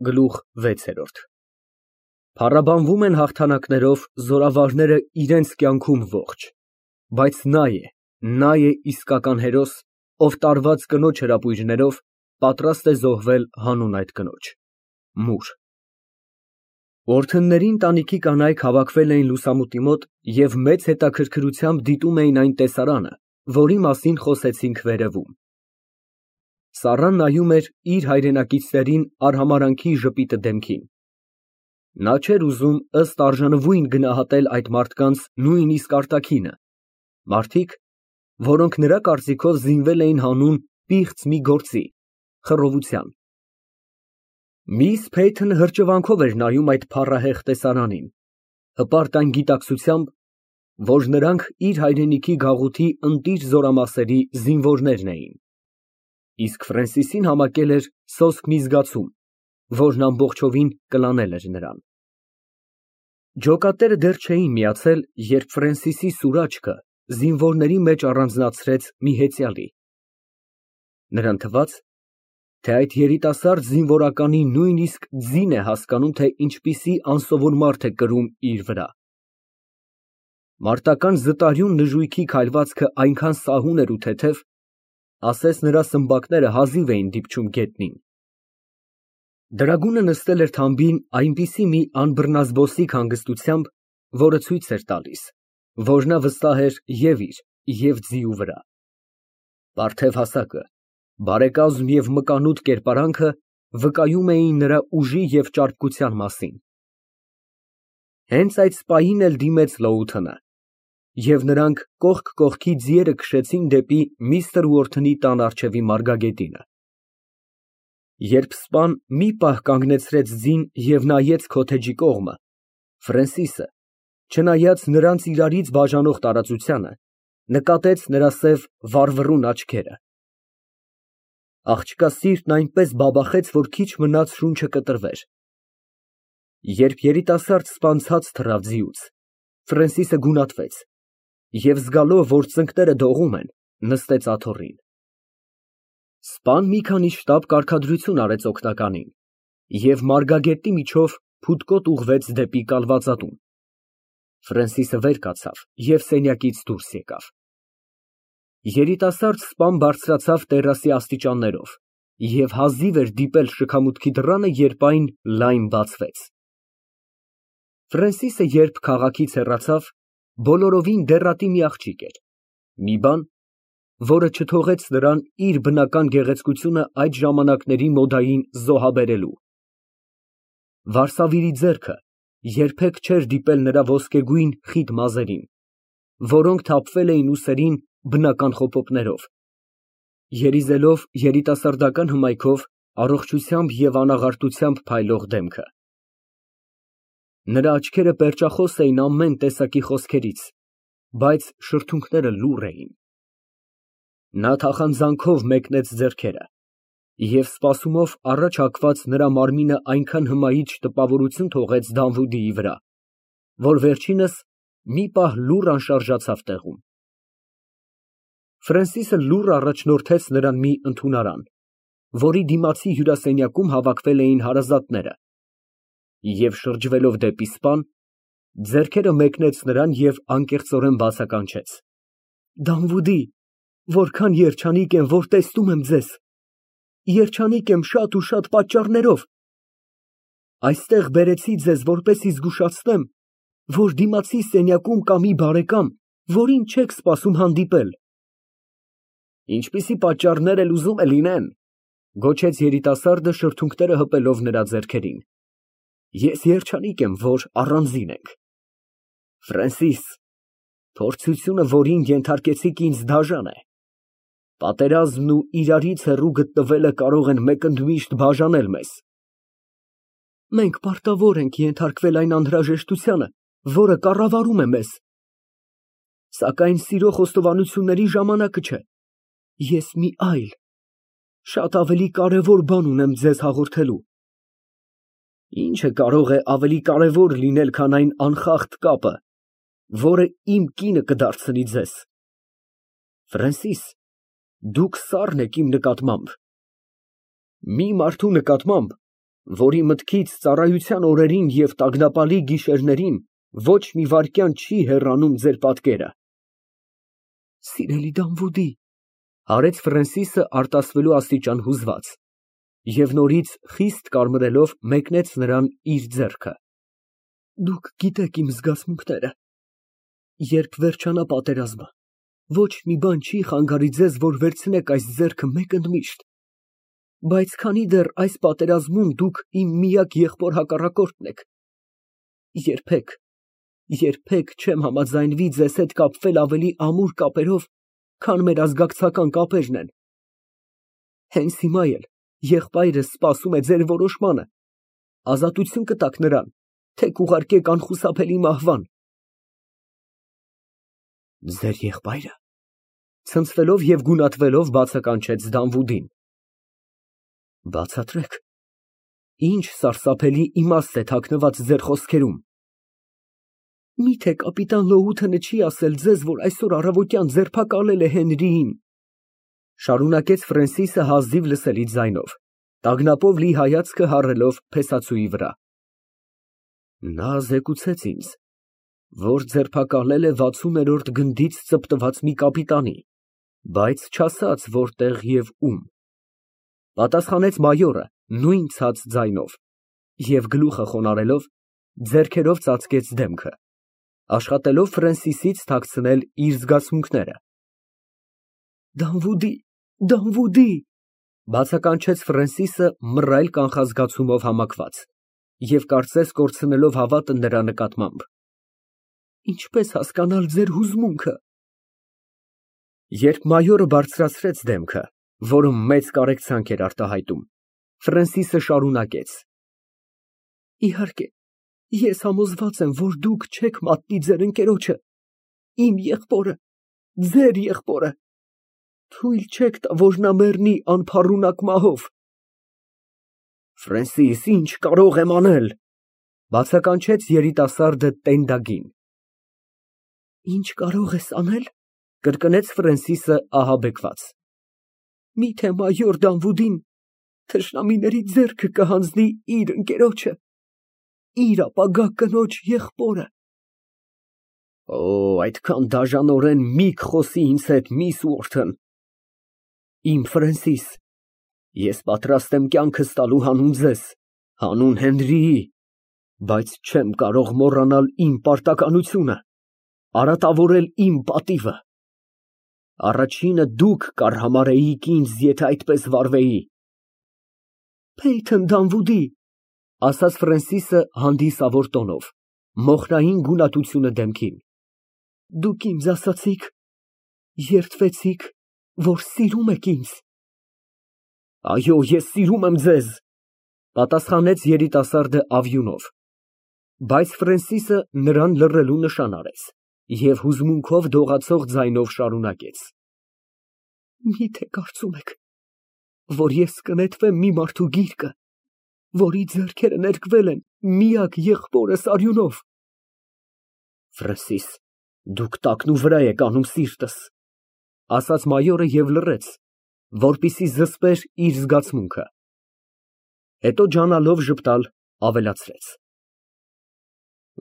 Գլուխ վեցերորդ Փառաբանվում են հաղթանակներով զորավարները իրենց կյանքում ողջ, բայց նա է իսկական հերոս, ով տարված կնոջ հրապույրներով պատրաստ է զոհվել հանուն այդ կնոջ։ Մուր Օրդենների ընտանիքի կանայք հավաքվել էին լուսամուտի մոտ և մեծ հետաքրքրությամբ դիտում էին այն տեսարանը, որի մասին խոսեցինք վերևում։ Սառան նայում էր իր հայրենակիցներին արհամարհանքի ժպիտը դեմքին։ Նա չէր ուզում ըստ արժանվույն գնահատել այդ մարդկանց նույնիսկ արտաքինը, մարդիկ, որոնք նրա կարծիքով զինվել էին հանուն պիղծ մի գործի՝ խռովության։ Միս Փեյթն հրճվանքով էր նայում այդ փառահեղ տեսարանին, հպարտ այն գիտակցությամբ, որ նրանք իր հայրենիքի գաղութի ընտիր զորամասերի զինվորներն էին, իսկ Ֆրենսիսին համակել էր սոսկ մի զգացում, որն ամբողջովին կլանել էր նրան։ Ջոկատները դեռ չէին միացել, երբ Ֆրենսիսի սուր աչքը զինվորների մեջ առանձնացրեց մի հեծյալի։ Նրան թվաց, թե այդ երիտասարդ զինվորականի նույնիսկ ձին է հասկանում, թե ինչպիսի անսովոր մարդ է կրում իր վրա։ Մարտական զտարյուն նժույգի քայլվածքը այնքան սահուն էր ու թեթև, ասես նրա սմբակները հազիվ էին դիպչում գետնին։ Դրագունը նստել էր թամբին այնպիսի մի անբռնազբոսիկ հանգստությամբ, որը ցույց էր տալիս, որ նա վստահ էր և իր, և ձիու վրա։ Պարթև հասակը, բարեկազմ և մկանուտ կերպարանքը վկայում էին նրա ուժի և ճարպկության մասին։ Հենց այդ սպային էլ դիմեց Լոութընը, և նրանք կողք կողքի ձիերը քշեցին դեպի միստր Ուորթնի տան առջևի մարգագետինը։ Երբ սպան մի պահ կանգնեցրեց ձին և նայեց քոթեջի կողմը, Ֆրենսիսը, չնայած նրանց իրարից բաժանող տարածությանը, նկատեց նրա սև վառվռուն աչքերը։ Աղջկա սիրտն այնպես բաբախեց, որ քիչ մնաց շունչը կտրվեր։ Երբ երիտասարդ սպան ցած թռավ ձիուց, Ֆրենսիսը գունատվեց և զգալով, որ ծնկները դողում են, նստեց աթոռին։ Սպան մի քանի շտապ կարգադրություն արեց օգնականին և մարգագետի միջով փութկոտ ուղղվեց դեպի կալվածատուն։ Ֆրենսիսը վեր կացավ և սենյակից դուրս եկավ։ Երիտասարդ սպան բարձրացավ տերասի աստիճաններով և հազիվ էր դիպել շքամուտքի դռանը, երբ այն լայն բացվեց։ Ֆրենսիսը երբ քաղաքից հեռացավ, բոլորովին դեռատի մի աղջիկ էր, մի բան, որը չթողեց նրան իր բնական գեղեցկությունը այդ ժամանակների մոդային զոհաբերելու։ Վարսավիրի ձեռքը երբեք չէր դիպել նրա ոսկեգույն խիտ մազերին, որոնք թափվել էին ուսերին բնական խոպոպներով, երիզելով երիտասարդական հմայքով առողջությամբ և անաղարտությամբ փայլող դեմքը։ Նրա աչքերը պերճախոս էին ամեն տեսակի խոսքերից, բայց շրթունքները լուռ էին։ Նա թախանձանքով մեկնեց ձեռքերը և սպասումով առաջ հագված նրա մարմինը այնքան հմայիչ տպավորություն թողեց Դանվուդիի վրա, որ վերջինս մի պահ լուռ անշարժացավ տեղում։ Ֆրենսիսը լուռ առաջնորդեց նրան մի ընդունարան, որի դիմացի հյուրասենյակում հավաքվել էին հարազատները, և շրջվելով դեպի սպան, ձեռքերը մեկնեց նրան և անկեղծորեն բացականչեց. Դանվուդի, որքան երջանիկ եմ, որ տեսնում եմ ձեզ, երջանիկ եմ շատ ու շատ պատճառներով։ Այստեղ բերեցի ձեզ, որպեսզի զգուշացնեմ, որ դիմացի սենյակում կա մի բարեկամ, որին չեք սպասում հանդիպել։ Ինչպիսի պատճառներ էլ ուզում է լինեն, գոչեց երիտասարդը շրթունքները հպելով նրա ձեռքերին, ես երջանիկ եմ, որ առանձին ենք։ Ֆրենսիս, փորձությունը, որին ենթարկեցիք ինձ, դաժան է։ Պատերազմն ու իրարից հեռու գտնվելը կարող են մեկընդմիշտ բաժանել մեզ։ Մենք պարտավոր ենք ենթարկվել այն անհրաժեշտությանը, որը կառավարում է մեզ։ Սակայն սիրո խոստովանությունների ժամանակը չէ։ Ես մի այլ, շատ ավելի կարևոր բան ունեմ ձեզ հաղորդելու։ Ինչը կարող է ավելի կարևոր լինել, քան այն անխախտ կապը, որը իմ կինը կդարձնի ձեզ։ Ֆրենսիս, դուք սառն եք իմ նկատմամբ։ Մի մարդու նկատմամբ, որի մտքից ծառայության օրերին և տագնապալի գիշերներին ոչ մի վայրկյան չի հեռանում ձեր պատկերը։ Սիրելի Դանվուդի, արեց Ֆրենսիսը արտասվելու աստիճան հուզված և նորից խիստ կարմրելով մեկնեց նրան իր ձեռքը։ Դուք գիտեք իմ զգացմունքները։ Երբ վերջանա պատերազմը, ոչ մի բան չի խանգարի ձեզ, որ վերցնեք այս ձեռքը մեկ ընդմիշտ, բայց քանի դեռ այս պատերազմում դուք իմ միակ եղբոր հակառակորդն եք, երբեք չեմ համաձայնվի ձեզ հետ կապվել ավելի ամուր կապերով, քան մեր ազգակցական կապերն են։ Հենց հիմա էլ եղբայրս սպասում է ձեր որոշմանը, ազատություն կտաք նրան, թե կուղարկեք անխուսափելի մահվան։ Ձեր եղբայրը, ցնցվելով և գունատվելով բացականչեց Դանվուդին։ Բացատրեք, ինչ սարսափելի իմաստ է թաքնված ձեր խոսքերում։ Միթե կապիտան Լոութենը չի ասել ձեզ, որ այսօր առավոտյան ձերբակալել է Հենրիին, շարունակեց Ֆրենսիսը հազիվ լսելի ձայնով, տագնապով լի հայացքը հառելով փեսացուի վրա։ Նա զեկուցեց ինձ, որ ձերբակալել է 60-րդ գնդից ծպտված մի կապիտանի, բայց չասաց որտեղ և ում, պատասխանեց մայորը նույն ցած ձայնով և գլուխը խոնարհելով ձեռքերով ծածկեց դեմքը, աշխատելով Ֆրենսիսից թաքցնել իր զգացմունքները։ Դանվուդի, բացականչեց Ֆրենսիսը մռայլ կանխազգացումով համակված և կարծես կորցնելով հավատը նրա նկատմամբ։ Ինչպես հասկանալ ձեր հուզմունքը։ Երբ մայորը բարձրացրեց դեմքը, որը մեծ կարեկցանք էր արտահայտում, Ֆրենսիսը շարունակեց. Իհարկե, ես համոզված եմ, որ դուք չեք մատնի ձեր ընկերոջը, իմ եղբորը, ձեր եղբորը, թույլ չեք տա, որ նա մեռնի անփառունակ մահով։ Ֆրենսիս, ինչ կարող եմ անել, բացականչեց երիտասարդը տենդագին։ Ինչ կարող ես անել, կրկնեց Ֆրենսիսը ահաբեկված։ Միթե մայոր Դանվուդին թշնամիների ձեռքը կհանձնի իր ընկերոջը, իր ապագա կնոջ եղբորը։ Օ, այդքան դաժանորեն մի խոսի ինձ հետ, միս Ուորթն։ Իմ Ֆրենսիս, ես պատրաստ եմ կյանքս տալու հանուն ձեզ, հանուն Հենրիի, բայց չեմ կարող մոռանալ իմ պարտականությունը, արատավորել իմ պատիվը։ Առաջինը դուք կարհամարհեիք ինձ, եթե այդպես վարվեի։ Փեյթոն Դանվուդի, ասաց Ֆրենսիսը հանդիսավոր տոնով, մոխրային գունատությունը դեմքին, դուք ինձ ասացիք, երդվեցիք, որ սիրում եք ինձ։ Այո, ես սիրում եմ ձեզ, պատասխանեց երիտասարդը ավյունով, բայց Ֆրենսիսը նրան լռելու նշան արեց և հուզմունքով դողացող ձայնով շարունակեց. Միթե կարծում եք, որ ես կնետվեմ մի մարդու գիրկը, որի ձեռքերը ներկվել են միակ եղբորս արյունով։ Ֆրենսիս, դուք տակնուվրա եք անում սիրտս, ասաց մայորը և լռեց, որպեսզի զսպեր իր զգացմունքը։ Հետո ջանալով ժպտալ ավելացրեց.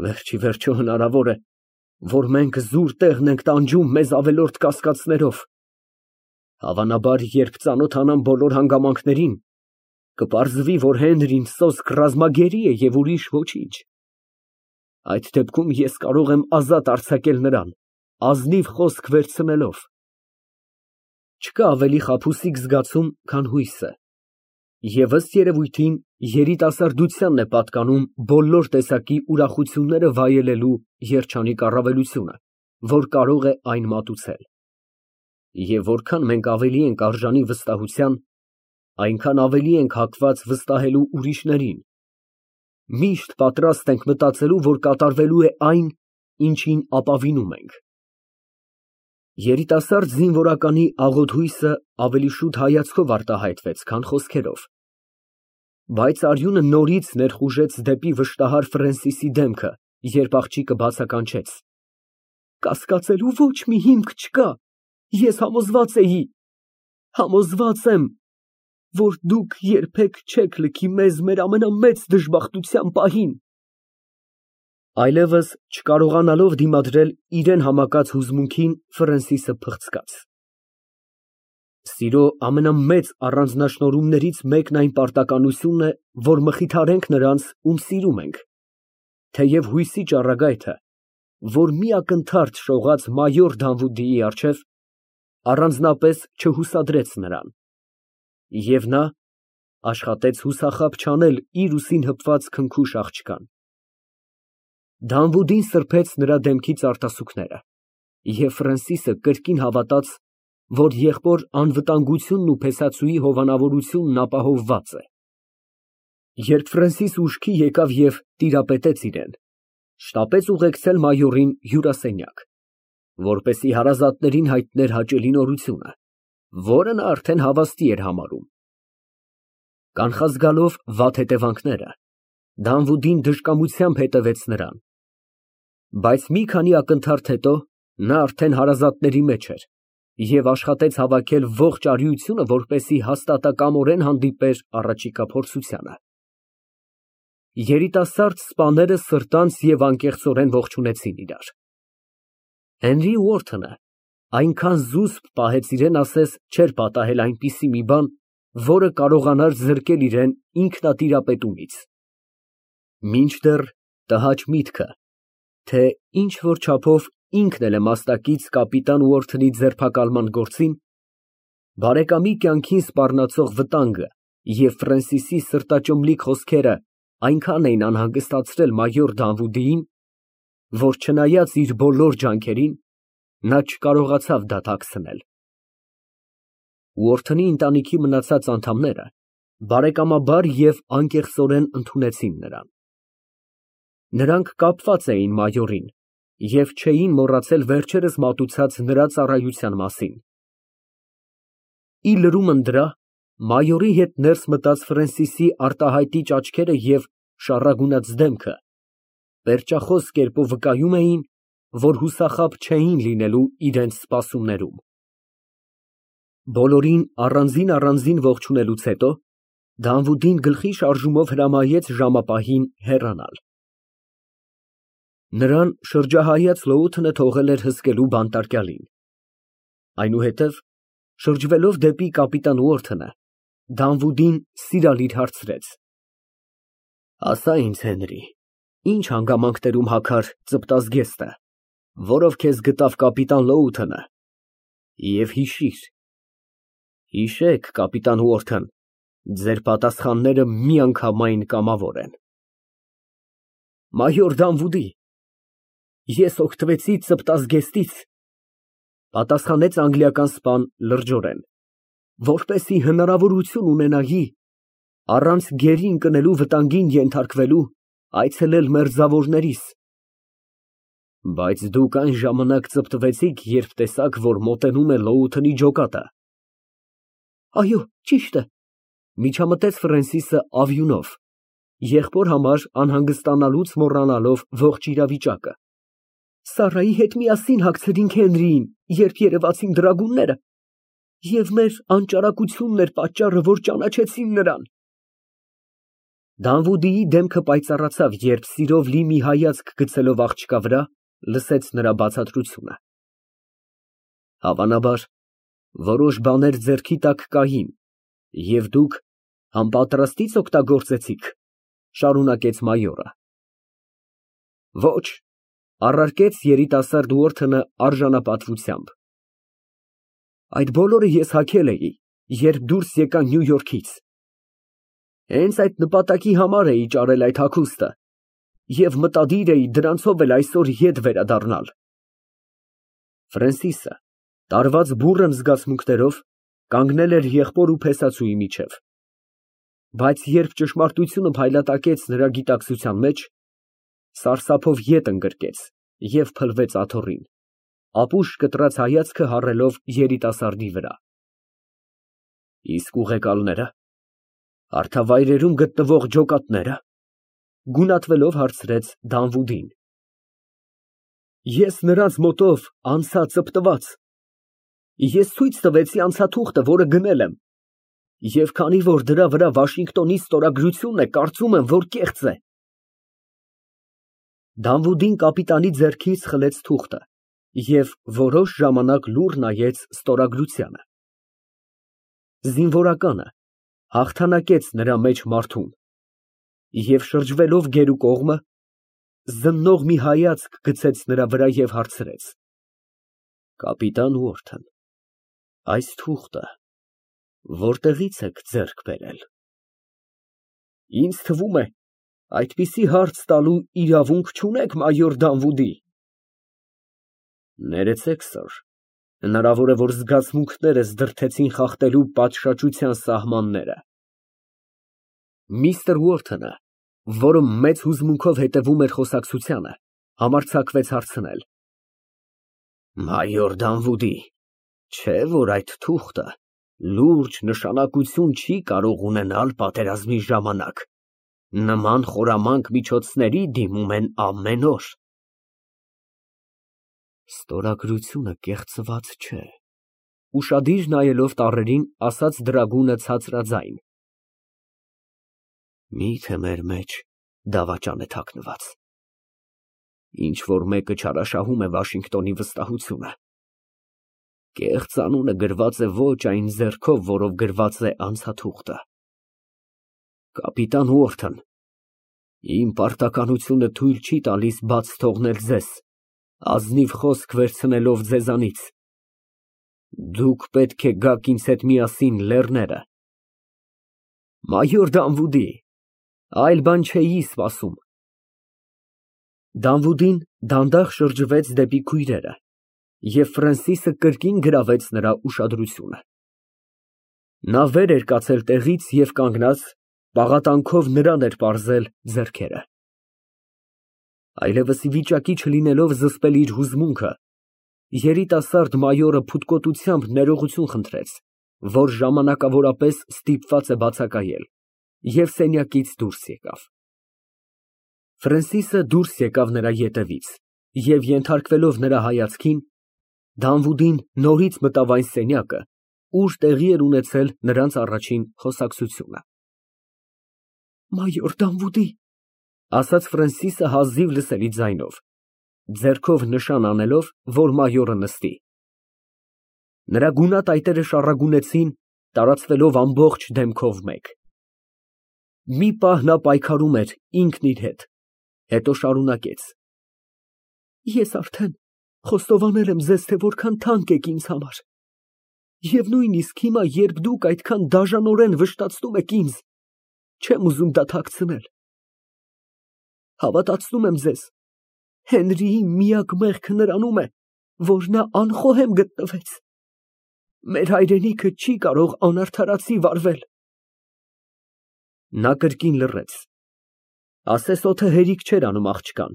Վերջիվերջո հնարավոր է, որ մենք զուր տեղն ենք տանջում մեզ ավելորդ կասկածներով։ Հավանաբար, երբ ծանոթանամ բոլոր հանգամանքներին, կպարզվի, որ Հենրին սոսկ ռազմագերի է և ուրիշ ոչինչ։ Այդ դեպքում ես կարող եմ ազատ արձակել նրան, ազնիվ խոսք վերցնելով։ Չկա ավելի խաբուսիկ զգացում, քան հույսը, և ըստ երևույթին երիտասարդությանն է պատկանում բոլոր տեսակի ուրախությունները վայելելու երջանիկ առավելությունը, որ կարող է այն մատուցել։ Եվ որքան մենք ավելի ենք արժանի վստահության, այնքան ավելի ենք հակված վստահելու ուրիշներին։ Միշտ պատրաստ ենք մտածելու, որ կատարվելու է այն, ինչին ապավինում ենք։ Երիտասարդ զինվորականի աղոտ հույսը ավելի շուտ հայացքով արտահայտվեց, քան խոսքերով, բայց արյունը նորից ներխուժեց դեպի վշտահար Ֆրենսիսի դեմքը, երբ աղջիկը բացականչեց. Կասկածելու ոչ մի հիմք չկա, ես համոզված էի, համոզված եմ։ որ դուք երբեք չեք լքի մեզ մեր ամենամեծ դժբախտության պահին։ Այլևս չկարողանալով դիմադրել իրան համակած հուզմունքին, Ֆրենսիսը փղցկաց։ Սիրո ամենամեծ առանձնաշնորհումներից մեկն այն պարտականությունն է, որ մխիթարենք նրանց, ում սիրում ենք, թեև հույսի ճառագայթը, որ մի ակնթարթ շողաց մայոր Դանվուդիի առջև, առանձնապես չհուսադրեց նրան, և նա աշխատեց հուսախաբ չանել իր ուսին հպված քնքուշ աղջկան։ Դանվուդին սրբեց նրա դեմքից արտասուքները, և Ֆրենսիսը կրկին հավատաց, որ եղբոր անվտանգությունն ու փեսացուի հովանավորությունն ապահովված է։ Երբ Ֆրենսիսը ուշքի եկավ և տիրապետեց իրան, շտապեց ուղեկցել մայորին հյուրասենյակ, որպեսզի հարազատներին հայտներ հաճելի նորությունը, որը նա արդեն հավաստի էր համարում։ Կանխազգալով վատ հետևանքները, Դանվուդին դժկամությամբ հետևեց նրան, բայց մի քանի ակնթարթ հետո նա արդեն հարազատների մեջ էր և աշխատեց հավաքել ողջ արիությունը, որպեսզի հաստատակամորեն հանդիպեր առաջիկա փորձությանը։ Երիտասարդ սպաները սրտանց և անկեղծորեն ողջունեցին իրար։ Հենրի Ուորթոնը այնքան զուսպ պահեց իրան, ասես չէր պատահել այնպիսի մի բան, որը կարողանար զրկել իրան ինքնատիրապետումից։ Մինչդեռ տհաճ միտքը, թե ինչ֊որ չափով ինքն էլ է մասնակից կապիտան Ուորթոնի ձերբակալման գործին, բարեկամի կյանքին սպառնացող վտանգը և Ֆրենսիսի սրտաճմլիկ խոսքերը այնքան էին անհանգստացրել մայոր Դանվուդիին, որ չնայած իր բոլոր ջանքերին, նա չկարողացավ դատակցնել։ Ուորթոնի ընտանիքի մնացած անդամները բարեկամաբար և անկեղծորեն ընդունեցին նրան։ Նրանք կապված էին մայորին և չէին մոռացել վերջերս մատուցած նրա ծառայության մասին։ Ի լրումն դրա, մայորի հետ ներս մտած Ֆրենսիսի արտահայտիչ աչքերը և շառագունած դեմքը պերճախոս կերպով վկայում էին, որ հուսախաբ չէին լինելու իրենց սպասումներում։ Բոլորին առանձին ողջունելուց հետո Դանվուդին գլխի շարժումով հրամայեց ժամապահին հեռանալ։ Նրան շրջահայաց լոութը թողել էր հսկելու բանտարկյալին։ Այնուհետև, շրջվելով դեպի կապիտան Ուորթոնը, Դանվուդին սիրալիր հարցրեց. «Ասա ինձ, Հենրի, ի՞նչ հանգամանքներում հագար ծպտազգեստը, որով քեզ գտավ կապիտան Լոութոնը, և հիշեք, կապիտան Ուորթոն, ձեր պատասխանները միանգամայն կամավոր են»։ Մայոր Դանվուդի, ես օգտվեցի ծպտազգեստից, պատասխանեց անգլիական սպան լրջորեն, որպեսզի հնարավորություն ունենայի, առանց գերի ընկնելու վտանգին ենթարկվելու, այցելել մերձավորներիս։ Բայց դուք այն ժամանակ ծպտվեցիք, երբ տեսաք, որ մոտենում է Լոութոնի ջոկատը։ Այո, ճիշտ է, միջամտեց Ֆրենսիսը ավյունով, եղբոր համար անհանգստանալուց մոռանալով ողջ իրավիճակը։ Սառայի հետ միասին հագցրինք Հենրիին, երբ երևացին դրագունները, և մեր անճարակությունն էր պատճառը, որ ճանաչեցին նրան։ Դանվուդիի դեմքը պայծառացավ, երբ սիրով լի մի հայացք գցելով աղջկա վրա, լսեց նրա բացատրությունը։ Հավանաբար, որոշ բաներ ձեռքի տակ կային, և դուք անպատրաստի՞ց օգտագործեցիք, շարունակեց մայորը։ Ոչ, առարկեց երիտասարդ Ուորթոնը արժանապատվությամբ։ Այդ բոլորը ես հագել էի, երբ դուրս եկա Նյու Յորքից։ Հենց այդ նպատակի համար էի ճարել այդ հագուստը և մտադիր էի դրանցով էլ այսօր ետ վերադառնալ։ Ֆրենսիսը, տարված բուռն զգացմունքներով, կանգնել էր եղբոր ու փեսացուի միջև, բայց երբ ճշմարտությունը փայլատակեց նրա գիտակցության մեջ, սարսափով ետ ընկրկեց և փլվեց աթոռին, ապուշ կտրած հայացքը հառելով երիտասարդի վրա։ Իսկ ուղեկալնե՞րը, հարթավայրերում գտնվող ջոկատնե՞րը, գունատվելով հարցրեց Դանվուդին։ Ես նրանց մոտով անցա ծպտված։ Ես ցույց տվեցի անցաթուղթը, որը գնել եմ, Եվ քանի որ դրա վրա Վաշինգտոնի ստորագրությունն է, կարծում եմ, որ կեղծ է։ Դանվուդին կապիտանի ձեռքից խլեց թուղթը և որոշ ժամանակ լուռ նայեց ստորագրությանը։ Զինվորականը հաղթանակեց նրա մեջ մարդուն և շրջվելով գերու կողմը, զննող մի հայացք գցեց նրա վրա և հարցրեց. Կապիտան Ուորթն, այս թուղթը որտեղի՞ց եք ձեռք բերել։ Ինձ թվում է, այդպիսի հարց տալու իրավունք չունեք, մայոր Դանվուդի։ Ներեցեք, սըր, հնարավոր է, որ զգացմունքներս դրդեցին խախտելու պատշաճության սահմանները։ Միստր Ուորթոնը, որը մեծ հուզմունքով հետևում էր խոսակցությանը, համարձակվեց հարցնել. Մայոր Դանվուդի, չէ՞ որ այդ թուղթը լուրջ նշանակություն չի կարող ունենալ պատերազմի ժամանակ, նման խորամանկ միջոցների դիմում են ամեն օր։ Ստորագրությունը կեղծված չէ, ուշադիր նայելով տառերին, ասաց դրագունը ցածրաձայն։ Մի՞թե մեր մեջ դավաճան է թաքնված։ Ինչ որ մեկը չարաշահում է Վաշինգտոնի վստահությունը։ Կեղծ անունը գրված է ոչ այն ձեռքով, որով գրված է անցաթուղթը։ Կապիտան Ուորթն, իմ պարտականությունը թույլ չի տալիս բաց թողնել ձեզ, ազնիվ խոսք վերցնելով ձեզանից։ Դուք պետք է գաք ինձ հետ միասին լեռները։ Մայոր Դանվուդի, այլ բան չէի սպասում։ Դանվուդին դանդաղ շրջվեց դեպի քույրերը, և Ֆրենսիսը կրկին գրավեց նրա ուշադրությունը։ Նա վեր էր կացել տեղից և կանգնած, պաղատանքով նրան էր պարզել ձեռքերը։ Այլևս ի վիճակի չլինելով զսպել իր հուզմունքը, երիտասարդ մայորը փութկոտությամբ ներողություն խնդրեց, որ ժամանակավորապես ստիպված է բացակայել, և սենյակից դուրս եկավ։ Ֆրենսիսը դուրս եկավ նրա ետևից և, ենթարկվելով նրա հայացքին, Դանվուդին նորից մտավ այն սենյակը, ուր տեղի էր ունեցել նրանց առաջին խոսակցությունը։ Մայոր Դանվուդի, ասաց Ֆրենսիսը հազիվ լսելի ձայնով, ձեռքով նշան անելով, որ մայորը նստի։ Նրա գունատ այտերը շառագունեցին, տարածվելով ամբողջ դեմքով մեկ։ Մի պահ նա պայքարում էր ինքն իր հետ, հետո շարունակեց. Ես արդեն խոստովանել եմ ձեզ, թե որքան թանկ եք ինձ համար, և նույնիսկ հիմա, երբ դուք այդքան դաժանորեն վշտացնում եք ինձ, չեմ ուզում դա թաքցնել։ Հավատացնում եմ ձեզ, Հենրիի միակ մեղքը նրանում է, որ նա անխոհեմ գտնվեց։ Մեր հայրենիքը չի կարող անարդարացի վարվել։ Նա կրկին լռեց։ Ասես օդը հերիք չէր անում աղջկան,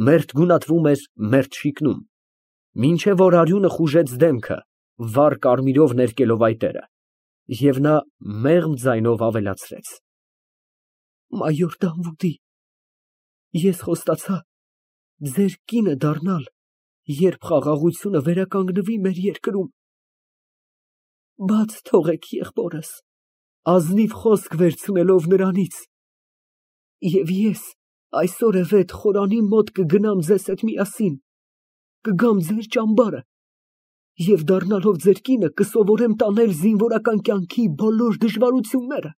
մերթ գունատվում էր, մերթ շիկնում, մինչև որ արյունը խուժեց դեմքը, վառ կարմիրով ներկելով այտերը, և նա մեղմ ձայնով ավելացրեց. Մայոր Դանվուդի, ես խոստացա ձեր կինը դառնալ, երբ խաղաղությունը վերականգնվի մեր երկրում։ Բաց թողեք եղբորս, ազնիվ խոսք վերցնելով նրանից, և ես այսօրևետ խորանի մոտ կգնամ ձեզ հետ միասին, կգամ ձեր ճամբարը և դառնալով ձեր կինը կսովորեմ տանել զինվորական կյանքի բոլոր դժվարությունները։